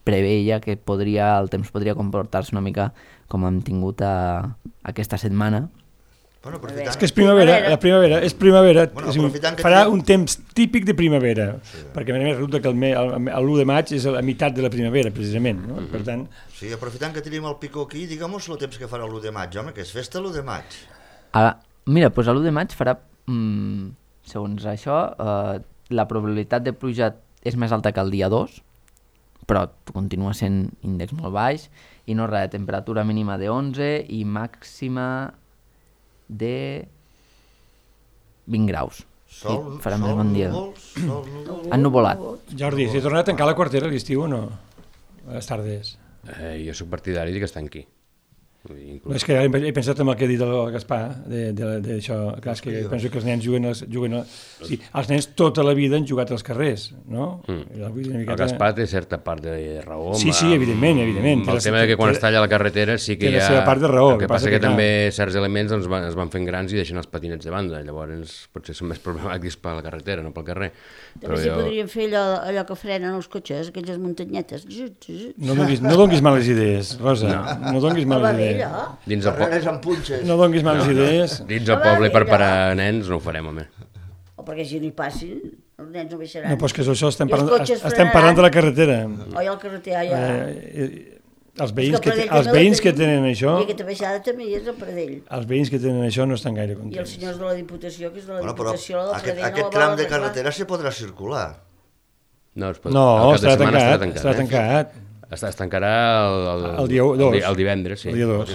preveia que el temps podria comportar-se una mica com hem tingut aquesta setmana Bueno, és que és primavera, la primavera és primavera, farà un temps típic de primavera, perquè a més resulta que l'1 de maig és la meitat de la primavera, precisament, no? Per tant... Sí, aprofitant que tenim el picó aquí, diguem-nos el temps que farà l'1 de maig, home, que és festa l'1 de maig. Mira, doncs l'1 de maig farà, segons això, la probabilitat de pluja és més alta que el dia 2, però continua sent índex molt baix, i no res, temperatura mínima de 11 i màxima de 20 graus. Farà més bon dia. Ennuvolat. Jordi, s'ha tornat a tancar la quartera a l'estiu o no? A les tardes. Jo soc partidari que es tanqui. No, és que he pensat en el que ha dit el Gaspar d'això. Clar, és que penso que els nens juguen sí, els nens tota la vida han jugat als carrers, no? El Gaspar té certa part de raó. Sí, evidentment. El tema que quan es talla la carretera sí que hi ha... Té la seva part de raó. El que passa que també certs elements es van fent grans i deixen els patinets de banda, llavors potser són més problemàtics per la carretera, no pel carrer. També podríem fer allò que frenen els cotxes, aquelles muntanyetes. No donis males idees, Rosa, no donis males idees. Dins el poble. No donis males idees. Dins el poble per parar nens no ho farem, home. O perquè si no hi passin, els nens no baixaran. No, però és que això estem parlant de la carretera. Oi, la carretera, ja. Els veïns que tenen això... I aquesta baixada també hi és el Pradell. Els veïns que tenen això no estan gaire contents. I els senyors de la Diputació, que és de la Diputació del Pradell... Aquest tram de carretera se podrà circular. No, estarà tancat. Es tancarà el dia 2. El divendres, sí. El dia 2.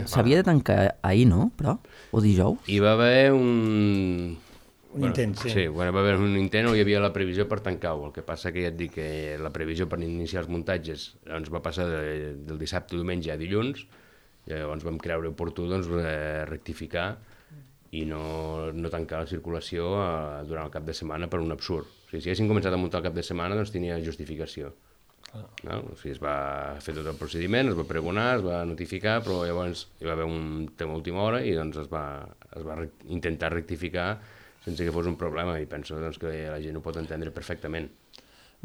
S'havia de tancar ahir, no? Però? O dijous? Hi va haver un intent, sí. Sí, va haver un intent on hi havia la previsió per tancar-ho. El que passa que ja et dic que la previsió per iniciar els muntatges doncs, va passar del dissabte o diumenge a dilluns, llavors vam creure oportú rectificar i no tancar la circulació durant el cap de setmana per un absurd. O sigui, si haguéssim començat a muntar el cap de setmana, doncs tenia justificació. No? O sigui, es va fer tot el procediment, es va pregonar, es va notificar, però llavors hi va haver un tema a última hora i doncs es va intentar rectificar sense que fos un problema, i penso doncs, que la gent ho pot entendre perfectament.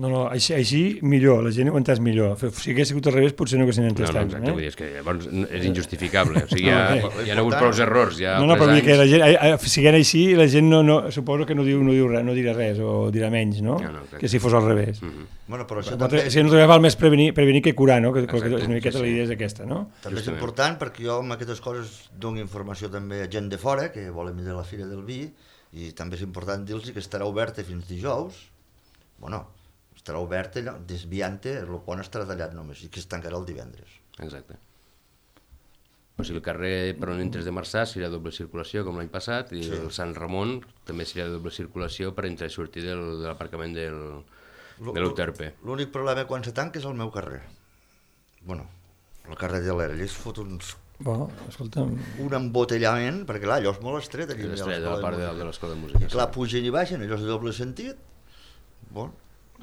No, així millor, la gent ho entès millor. Si hagués sigut al revés, potser no haguessin entès tant. Exacte, vull dir, és que llavors és injustificable. O sigui, hi ha hagut prou errors. No, però que la gent, siguent així, la gent suposo que no dirà res, o dirà menys, no? Que si fos al revés. Bueno, però això també... Si no val més prevenir que curar, no? Que una miqueta la idea és aquesta, no? També és important, perquè jo amb aquestes coses dono informació també a gent de fora, que volen venir a la Fira del Vi, i també és important dir-los que estarà oberta fins dijous. Bueno, estarà obert, desviant-te, el pont estarà tallat només, i que es tancarà el divendres. Exacte. O sigui, el carrer per on entres de Marçà serà doble circulació, com l'any passat, i el Sant Ramon també serà doble circulació per entrar i sortir de l'aparcament de l'UTRP. L'únic problema quan se tanca és el meu carrer. Bueno, el carrer de l'Era, allà es fot un embotellament, perquè clar, allò és molt estret. És estret, a la part de l'escola de música. Clar, pugen i baixen, allò és de doble sentit. Bon.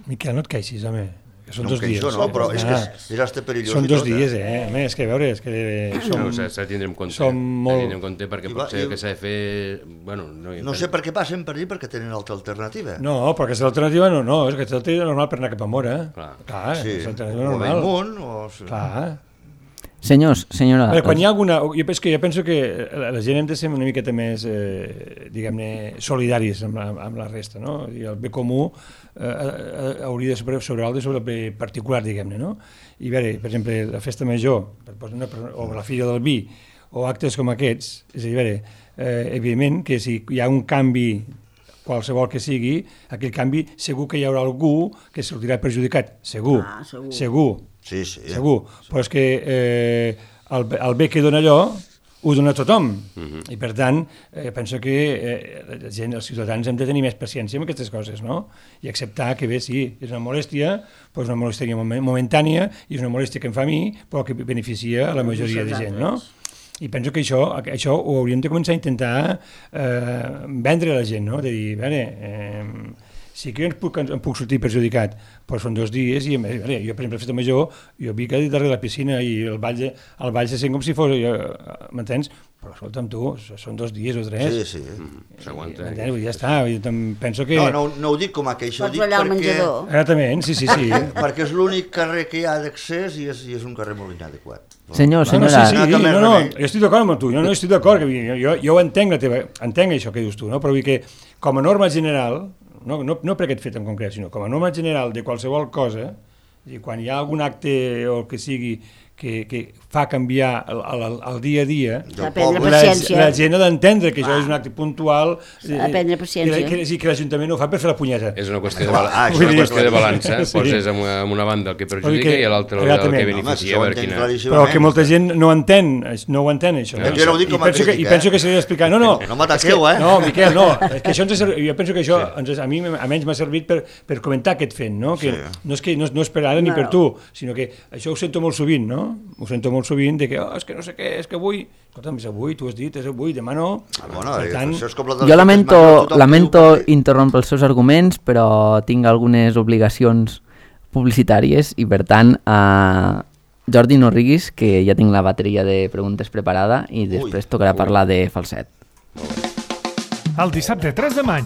Miquel, no et queixis, home. Que són 2 dies. No, però és que és hasta perillós. Són 2 dies, Home, és que a veure, és que s'ha de tindre en compte. S'ha de tindre en compte perquè potser que s'ha de fer... No sé per què passen per allà, perquè tenen altra alternativa. No, però aquesta alternativa no, és que aquesta alternativa és normal per anar cap a Mora. Clar, és alternativa normal. O Bellmunt, Clar. Senyors, senyora... Quan hi ha alguna... Jo penso que la gent hem de ser una miqueta més, diguem-ne, solidaris amb la resta, no? I el bé comú hauria de sobrevalde sobre el bé particular, diguem-ne, no? I a veure, per exemple, la festa major, o la Fira del Vi, o actes com aquests, és a dir, evidentment que si hi ha un canvi qualsevol que sigui, aquell canvi segur que hi haurà algú que sortirà perjudicat, segur. Sí. Segur, però és que el bé que dona allò ho dona a tothom, i per tant penso que la gent, els ciutadans hem de tenir més paciència amb aquestes coses, no? I acceptar que bé, sí, és una molèstia, però és una molèstia momentània i és una molèstia que em fa a mi, però que beneficia a la majoria de gent, no? I penso que això ho hauríem de començar a intentar vendre a la gent, no? De dir, a veure, sí que em puc sortir perjudicat, però són 2 dies i, jo, per exemple, a Festa Major, jo vi que darrere la piscina i el ball se sent com si fos, m'entens? però escolta'm tu, són 2 dies o 3. Sí. S'aguanta. Ja està, penso que... No ho dic com a queixa, ho dic ballar al perquè... menjador. Exactament, sí. perquè és l'únic carrer que hi ha d'accés i és un carrer molt inadequat. Senyora... No, jo estic d'acord amb tu, jo estic d'acord, jo entenc entenc això que dius tu, no? Però vull que com a norma general, no per aquest fet en concret, sinó com a norma general de qualsevol cosa, i quan hi ha algun acte o el que sigui que fa canviar el dia a dia, la gent ha d'entendre que això és un acte puntual, aprendre paciència, que l'Ajuntament no ho fa per fer la punyeta. És una qüestió de balança, poses amb una banda el que perjudica i a l'altra el que beneficia. Però que molta gent no ho entén això. I penso que s'ha d'explicar. No m'ataqueu, No, Miquel, no. Jo penso que això a mi almenys m'ha servit per comentar aquest fet, no? Que no és per ara ni per tu, sinó que això ho sento molt sovint, no? Ho sento molt sovint de que, és que no sé què, és que avui... Escolta'm, és avui, tu has dit, és avui, demà no. Jo lamento interrompre els seus arguments, però tinc algunes obligacions publicitàries i, per tant, Jordi, no riguis, que ja tinc la bateria de preguntes preparada i després tocarà parlar de falset. El dissabte 3 de maig,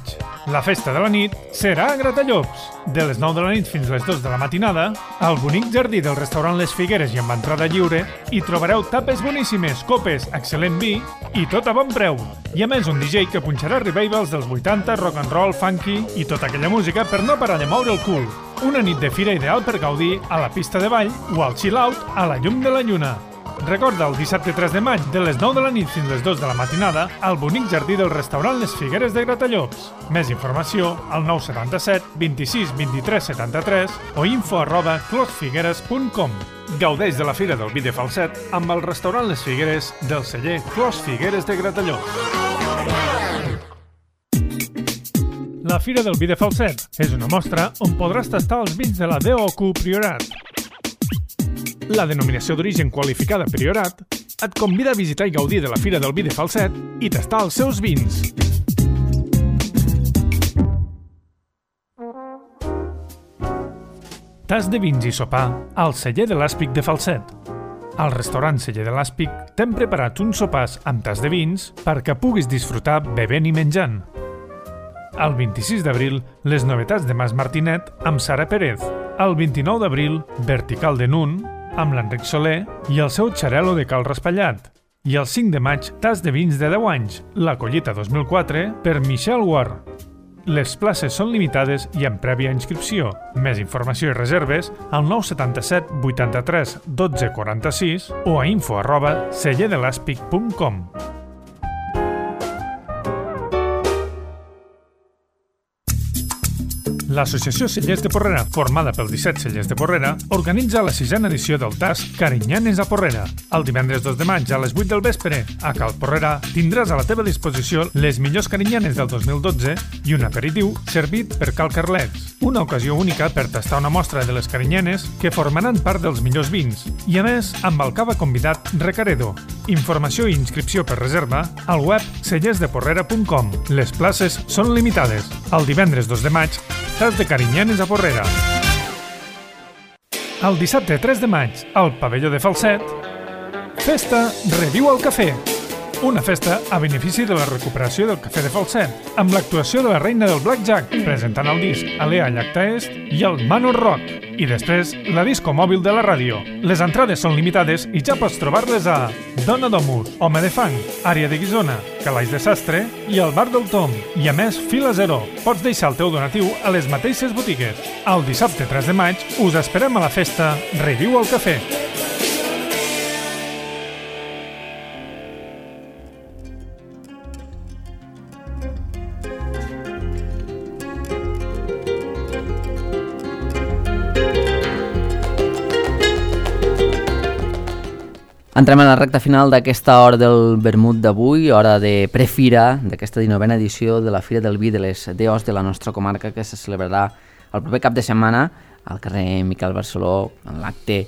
la festa de la nit serà a Gratallops. De les 9 de la nit fins les 2 de la matinada, al bonic jardí del restaurant Les Figueres i amb entrada lliure, hi trobareu tapes boníssimes, copes, excel·lent vi i tot a bon preu. I a més un DJ que punxarà revivals dels 80, rock and roll, funky i tota aquella música per no parar de moure el cul. Una nit de fira ideal per gaudir a la pista de ball o al chill out a la llum de la lluna. Recorda, el dissabte 3 de maig, de les 9 de la nit fins les 2 de la matinada, al bonic jardí del restaurant Les Figueres de Gratallops. Més informació al 977 26 23 73 o info@closfigueres.com. Gaudeix de la Fira del Vi de Falset amb el restaurant Les Figueres del celler Clos Figueres de Gratallops. La Fira del Vi de Falset és una mostra on podràs tastar els vins de la DOQ Priorat. La denominació d'origen qualificada Priorat et convida a visitar i gaudir de la Fira del Vi de Falset i tastar els seus vins. Tas de vins i sopar al celler de l'Àspic de Falset. Al restaurant Celler de l'Àspic t'hem preparat uns sopars amb tas de vins perquè puguis disfrutar bevent i menjant. El 26 d'abril, les novetats de Mas Martinet amb Sara Pérez. El 29 d'abril, Vertical de Nun, amb l'Enric Soler i el seu xarel·lo de Cal Raspallat. I el 5 de maig, tas de vins de 10 anys, la collita 2004 per Michel Ward. Les places són limitades i amb prèvia inscripció. Més informació i reserves al 977 83 12 46 o a info@cellerdelàspic.com. L'Associació Cellers de Porrera, formada pels 17 cellers de Porrera, organitza la 6a edició del TAS Carinyanes a Porrera. El divendres 2 de maig a les 8 del vespre, a Cal Porrera, tindràs a la teva disposició les millors carinyanes del 2012 i un aperitiu servit per Cal Carlets. Una ocasió única per tastar una mostra de les carinyanes que formaran part dels millors vins. I a més, amb el cava convidat Recaredo. Informació i inscripció per reserva al web cellersdeporrera.com. Les places són limitades. El divendres 2 de maig, tas de carinyanes a Porrera. El dissabte 3 de maig, al pavelló de Falset, festa Reviu al Cafè. Una festa a benefici de la recuperació del cafè de Falset, amb l'actuació de la reina del Blackjack, presentant el disc Alea Llacta Est i el Manor Rock. I després, la disco mòbil de la ràdio. Les entrades són limitades i ja pots trobar-les a Dona Domus, Home de Fang, Àrea de Guisona, Calaix de Sastre i el Bar del Tom. I a més, Fila Zero. Pots deixar el teu donatiu a les mateixes botigues. El dissabte 3 de maig us esperem a la festa Reviu al Cafè. Entrem a la recta final d'aquesta hora del vermut d'avui, hora de prefira d'aquesta 19a edició de la Fira del Vi de les DOs de la nostra comarca, que se celebrarà el proper cap de setmana al carrer Miquel Barceló, en l'acte,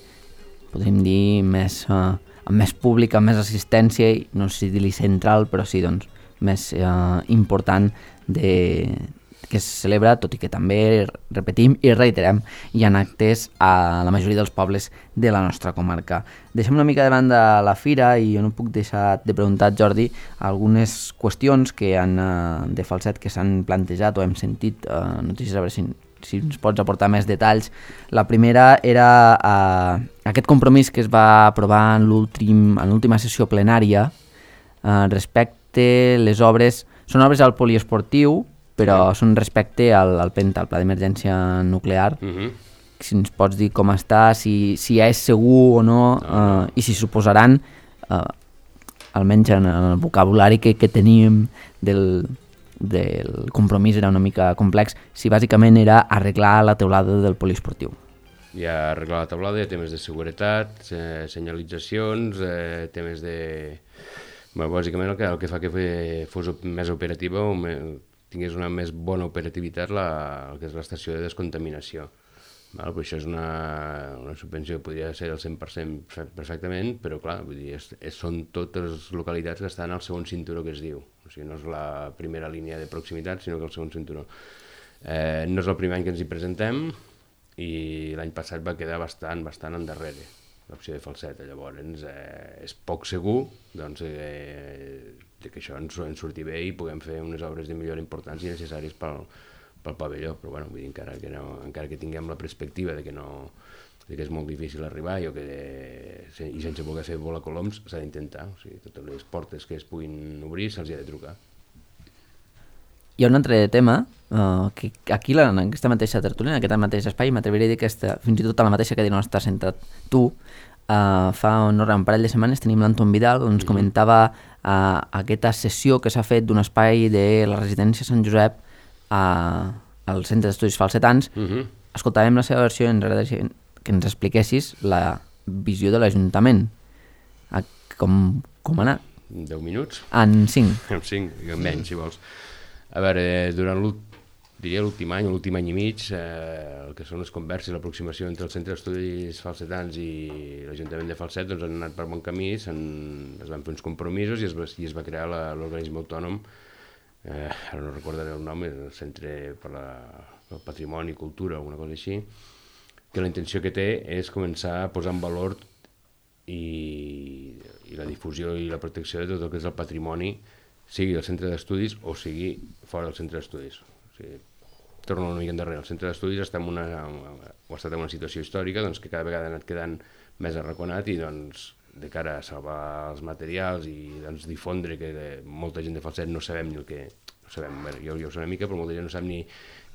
podríem dir, amb més públic, amb més assistència, no sé si dir-li central, però sí, doncs, més important que es celebra, tot i que també, repetim i reiterem, hi ha actes a la majoria dels pobles de la nostra comarca. Deixem una mica de banda la fira i jo no puc deixar de preguntar, Jordi, algunes qüestions que de Falset que s'han plantejat o hem sentit, notícies, a veure si ens pots aportar més detalls. La primera era aquest compromís que es va aprovar en l'última sessió plenària respecte les obres, són obres al poliesportiu, però són respecte al PENTA, al Pla d'Emergència Nuclear. Si ens pots dir com està, si ja és segur o no, i si suposaran, almenys en el vocabulari que teníem del compromís era una mica complex, si bàsicament era arreglar la teulada del poliesportiu. Hi ha arreglar la teulada, hi ha temes de seguretat, senyalitzacions, temes de... Bàsicament el que fa que fos més operativa o tingués una més bona operativitat el que és l'estació de descontaminació. Però això és una subvenció que podria ser del 100% perfectament, però clar, vull dir, són totes les localitats que estan al segon cinturó que es diu. O sigui, no és la primera línia de proximitat, sinó que el segon cinturó. No és el primer any que ens hi presentem i l'any passat va quedar bastant endarrere l'opció de Falset. Llavors és poc segur que això ens surti bé i puguem fer unes obres de millora importants i necessàries pel pavelló, però bueno, vull dir, encara que tinguem la perspectiva de que és molt difícil arribar i sense voler fer volar coloms s'ha d'intentar, o sigui, totes les portes que es puguin obrir se'ls ha de trucar. Hi ha un altre tema que aquí en aquesta mateixa tertúlia, en aquest mateix espai, m'atreviria a dir que fins i tot a la mateixa cadira on estàs sentat tu, fa un parell de setmanes tenim l'Anton Vidal, on ens comentava aquesta sessió que s'ha fet d'un espai de la residència Sant Josep al Centre d'Estudis Falsetans. Escoltàvem la seva versió i ens agradaria que ens expliquessis la visió de l'Ajuntament. Com ha anat? 10 minuts? En 5. En 5, menys, si vols. A veure, durant l'últim any i mig, el que són les converses i l'aproximació entre el Centre d'Estudis Falsetans i l'Ajuntament de Falset han anat per bon camí, es van fer uns compromisos i es va crear l'organisme autònom, ara no recordaré el nom, el Centre per al Patrimoni i Cultura o alguna cosa així, que la intenció que té és començar a posar en valor i la difusió i la protecció de tot el que és el patrimoni, sigui el centre d'estudis o sigui fora del centre d'estudis. O sigui, torno una mica endarrere. El centre d'estudis ha estat en una situació històrica que cada vegada ha anat quedant més arraconat i de cara a salvar els materials i difondre que molta gent de Falset no sabem ni el que... Jo ho sé una mica, però molta gent no sap ni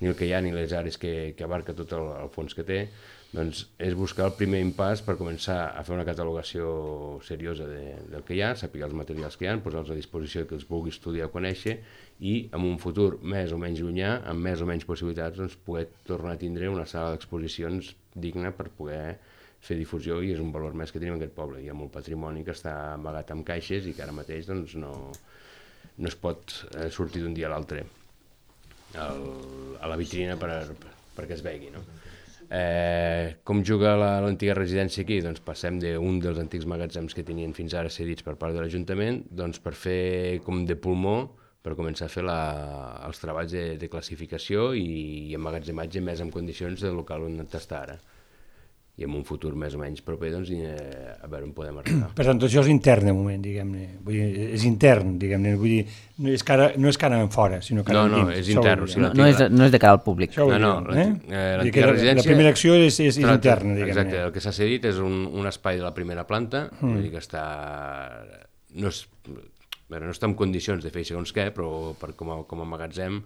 el que hi ha ni les àrees que abarca tot el fons que té, doncs és buscar el primer impàs per començar a fer una catalogació seriosa del que hi ha, saber els materials que hi ha, posar-los a disposició que els vulgui estudiar o conèixer i en un futur més o menys llunyà, amb més o menys possibilitats, poder tornar a tindre una sala d'exposicions digna per poder fer difusió i és un valor més que tenim en aquest poble. Hi ha molt patrimoni que està amagat en caixes i que ara mateix no es pot sortir d'un dia a l'altre a la vitrina perquè es vegi. Com juga l'antiga residència aquí? Doncs passem d'un dels antics magatzems que tenien fins ara cedits per part de l'Ajuntament per fer com de pulmó per començar a fer els treballs de classificació i emmagatzematge més en condicions del local on està ara. I en un futur més o menys proper, a veure on podem arribar. Per tant, això és intern de moment, diguem-ne. És intern, diguem-ne. Vull dir, no és cara en fora, sinó cara en dins. No, és intern. No és de cara al públic. L'antiga residència... La primera acció és interna, diguem-ne. Exacte, el que s'ha cedit és un espai de la primera planta, vull dir que està... No està en condicions de fer segons què, però com a magatzem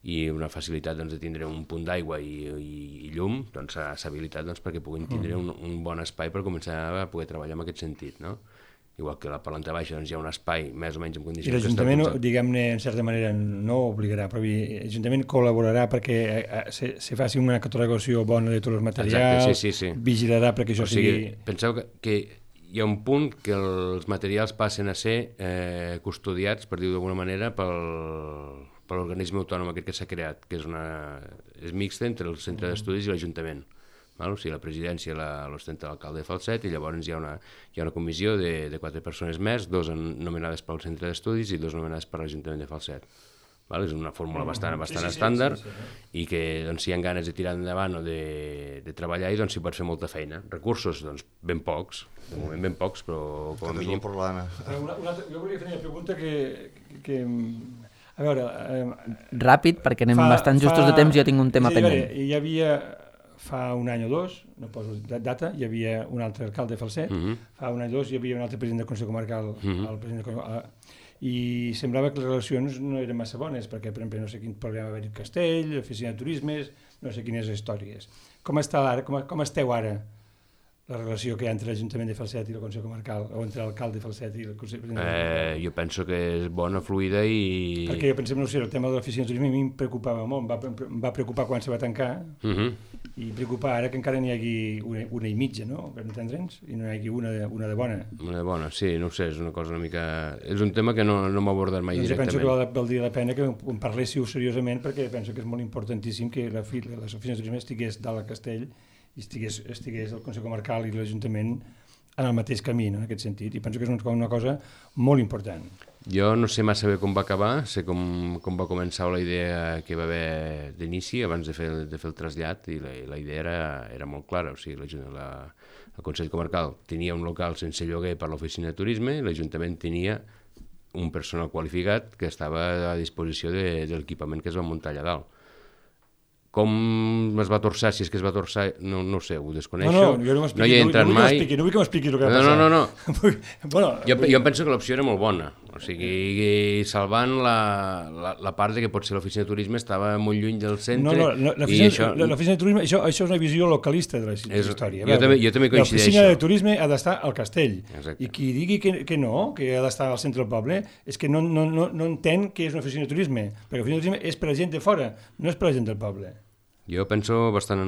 i una facilitat de tindre un punt d'aigua i llum, s'ha habilitat perquè puguin tindre un bon espai per començar a poder treballar en aquest sentit, no? Igual que a la planta baixa hi ha un espai més o menys en condicions... I l'Ajuntament, diguem-ne, en certa manera, no obligarà, però l'Ajuntament col·laborarà perquè se faci una catalogació bona de tots els materials, exacte, sí. Vigilarà perquè això sigui... Penseu que hi ha un punt que els materials passen a ser custodiats, per dir-ho d'alguna manera, per l'organisme autònom aquest que s'ha creat, que és mixta entre el centre d'estudis i l'Ajuntament. O sigui, la presidència l'ostenta l'alcalde de Falset i llavors hi ha una comissió de 4 persones més, 2 nomenades pel centre d'estudis i 2 nomenades per l'Ajuntament de Falset. és una fórmula bastant estàndard i que si hi ha ganes de tirar endavant o de treballar i s'hi pot fer molta feina. Recursos, ben pocs, de moment ben pocs, però com a mínim... Jo volia fer una pregunta que a veure... Ràpid, perquè anem bastant justos de temps i jo tinc un tema pendent. Hi havia, fa un any o dos, no poso data, hi havia un altre alcalde Falset, fa un any o dos hi havia un altre president del Consell Comarcal, el president i semblava que les relacions no eren massa bones, perquè, per exemple, no sé quin problema va haver-hi a Castell, l'oficina de turismes, no sé quines històries. Com està ara, com esteu ara, la relació que hi ha entre l'Ajuntament de Falset i el Consell Comarcal, o entre l'alcalde de Falset i el Consell Comarcal? Jo penso que és bona, fluida i... Perquè jo pensem, no sé, el tema de l'oficina de turisme a mi em preocupava molt, em va preocupar quan se va tancar, i preocupar ara que encara n'hi hagi una i mitja, no?, per entendre'ns, i no hi hagi una de bona. Una de bona, sí, no ho sé, és una cosa una mica... És un tema que no m'ha abordat mai directament. Penso que valdria la pena que en parléssiu seriosament, perquè penso que és molt importantíssim que l'oficina de turisme estigués dalt a Castell i estigués el Consell Comarcal i l'Ajuntament en el mateix camí, no?, en aquest sentit, i penso que és una cosa molt important. Jo no sé massa bé com va acabar, sé com va començar la idea que va haver d'inici abans de fer el trasllat, i la idea era molt clara, o sigui, el Consell Comarcal tenia un local sense lloguer per l'oficina de turisme, l'Ajuntament tenia un personal qualificat que estava a disposició de l'equipament que es va muntar allà dalt. Com es va torçar, si és que es va torçar, no ho sé, ho desconeixo. No hi he entrat mai. No vull que m'expliquis el que va passar. No. Jo penso que l'opció era molt bona. O sigui, salvant la part que potser l'oficina de turisme estava molt lluny del centre. L'oficina de turisme, això és una visió localista de la història. Jo també coincideixo. L'oficina de turisme ha d'estar al Castell. I qui digui que no, que ha d'estar al centre del poble, és que no entén què és una oficina de turisme. Perquè l'oficina de turisme és per a gent de fora, no és per a gent del poble. Jo penso bastant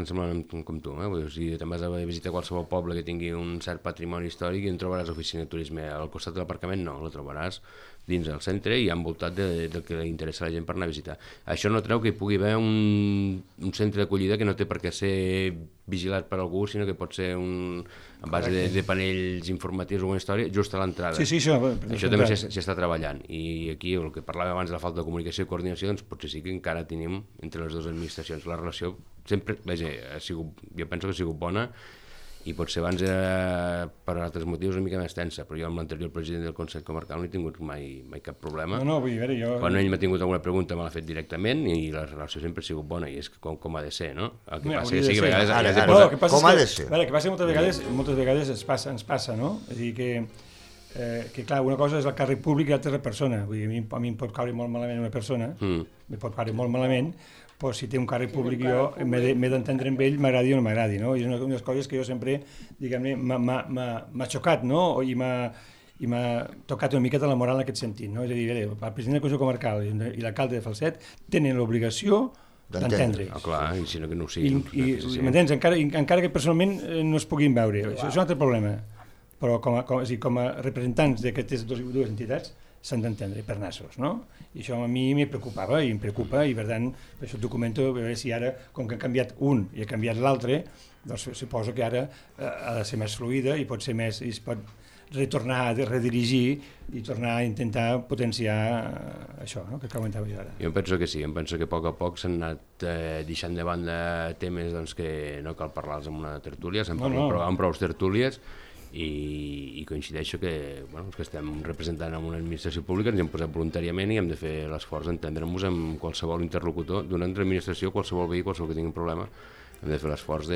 semblant com tu. Si te'n vas a visitar qualsevol poble que tingui un cert patrimoni històric i en trobaràs oficina de turisme al costat de l'aparcament, no, la trobaràs dins del centre i envoltat del que li interessa a la gent per anar a visitar. Això no treu que hi pugui haver un centre d'acollida que no té per què ser vigilat per algú, sinó que pot ser a base de panells informatius o una història just a l'entrada. Sí, això també s'hi està treballant. I aquí el que parlàvem abans de la falta de comunicació i coordinació, doncs potser sí que encara tenim entre les dues administracions. La relació sempre, jo penso que ha sigut bona, i potser abans era per altres motius una mica més tensa, però jo amb l'anterior president del Consell Comarcal no he tingut mai cap problema. Vull dir, jo... Quan ell m'ha tingut alguna pregunta me l'ha fet directament i la relació sempre ha sigut bona i és com ha de ser, no? El que passa és que a vegades... Com ha de ser? El que passa que moltes vegades ens passa, no? És a dir, que clar, una cosa és el càrrec públic i l'altra és la persona. Vull dir, a mi em pot caure molt malament una persona, em pot caure molt malament, però si té un càrrec públic jo m'he d'entendre amb ell, m'agradi o no m'agradi, no? I és una de les coses que jo sempre, diguem-ne, m'ha xocat, no? I m'ha tocat una miqueta la moral en aquest sentit, no? És a dir, el president del Consell Comarcal i l'alcalde de Falset tenen l'obligació d'entendre. Clar, i si no que no ho siguin. M'entens? Encara que personalment no es puguin veure. Això és un altre problema. Però com a representants d'aquestes dues entitats s'han d'entendre per nassos, no? I això a mi em preocupava i em preocupa i per tant, per això et documento, a veure si ara, com que han canviat un i ha canviat l'altre, doncs suposo que ara ha de ser més fluida i pot ser més, i es pot retornar a redirigir i tornar a intentar potenciar això, no?, que comentava jo ara. Jo penso que sí, penso que a poc s'han anat deixant de banda temes que no cal parlar-los en una tertúlia, s'han parlat amb prou tertúlies, i coincideixo que estem representant en una administració pública, ens hem posat voluntàriament i hem de fer l'esforç d'entendre-nos amb qualsevol interlocutor d'una altra administració, qualsevol veí, qualsevol que tingui un problema, hem de fer l'esforç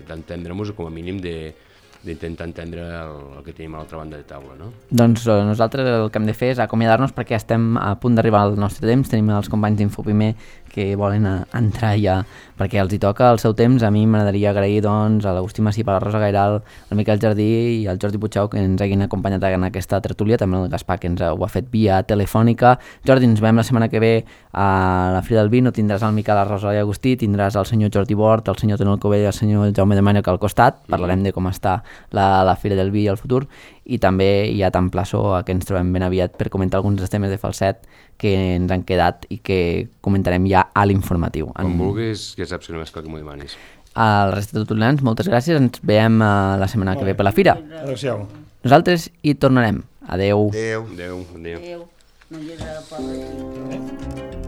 d'entendre-nos, com a mínim d'intentar entendre el que tenim a l'altra banda de taula, no? Doncs nosaltres el que hem de fer és acomiadar-nos perquè estem a punt d'arribar al nostre temps, tenim els companys d'Infoprimer que volen entrar ja perquè els hi toca el seu temps. A mi m'agradaria agrair doncs, a l'Agustí Massip, a la Rosa Gairal, al Miquel Jardí i al Jordi Puigau que ens hagin acompanyat en aquesta tertúlia, també el Gaspar que ens ho ha fet via telefònica. Jordi, ens veiem la setmana que ve a la Fira del Vi, no tindràs el Miquel, la Rosa i Agustí, tindràs el senyor Jordi Bort, el senyor Tonel Covell i el senyor Jaume de Mànec al costat, parlarem de com està la Fira del Vi i el futur, i també ja t'emplaço a que ens trobem ben aviat per comentar alguns dels temes de Falset que ens han quedat i que comentarem ja a l'informatiu. Quan vulguis, que saps que només cal que m'ho demanis. Al resta de tutulans, moltes gràcies, ens veiem la setmana que ve per la Fira. Adéu-siau. Nosaltres hi tornarem. Adéu. Adéu. No hi haurà poble aquí.